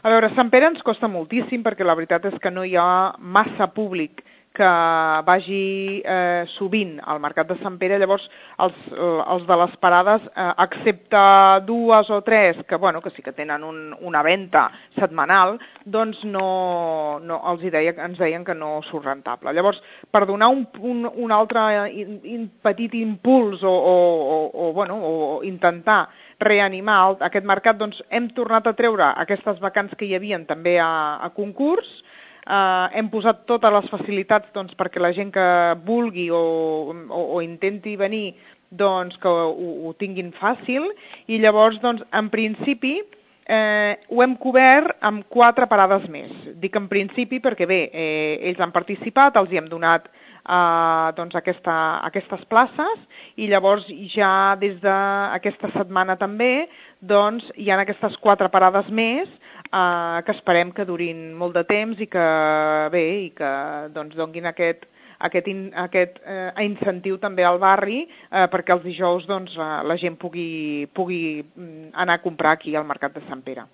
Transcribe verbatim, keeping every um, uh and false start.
A veure, Sant Pere ens costa moltíssim perquè la veritat és que no hi ha massa públic que vagi eh, sovint al Mercat de Sant Pere, llavors els, els de les parades, eh, excepte dues o tres, que, bueno, que sí que tenen un, una venda setmanal, doncs no, no els hi deia, ens deien que no surt rentable. Llavors, per donar un, un, un altre in, in, petit impuls o, o, o, o, bueno, o intentar reanimar aquest mercat, doncs hem tornat a treure aquestes vacants que hi havien també a, a concurs. Uh, hem posat totes les facilitats doncs, perquè la gent que vulgui o, o, o intenti venir doncs, que ho, ho tinguin fàcil, i llavors doncs, en principi eh, ho hem cobert amb quatre parades més. Dic en principi perquè bé, eh, ells han participat, els hi hem donat Uh, doncs aquesta, aquestes places, i llavors ja des d'aquesta setmana també doncs, hi ha aquestes quatre parades més uh, que esperem que durin molt de temps i que bé i que doncs, donguin aquest, aquest, in, aquest uh, incentiu també al barri uh, perquè els dijous doncs, uh, la gent pugui, pugui anar a comprar aquí al Mercat de Sant Pere.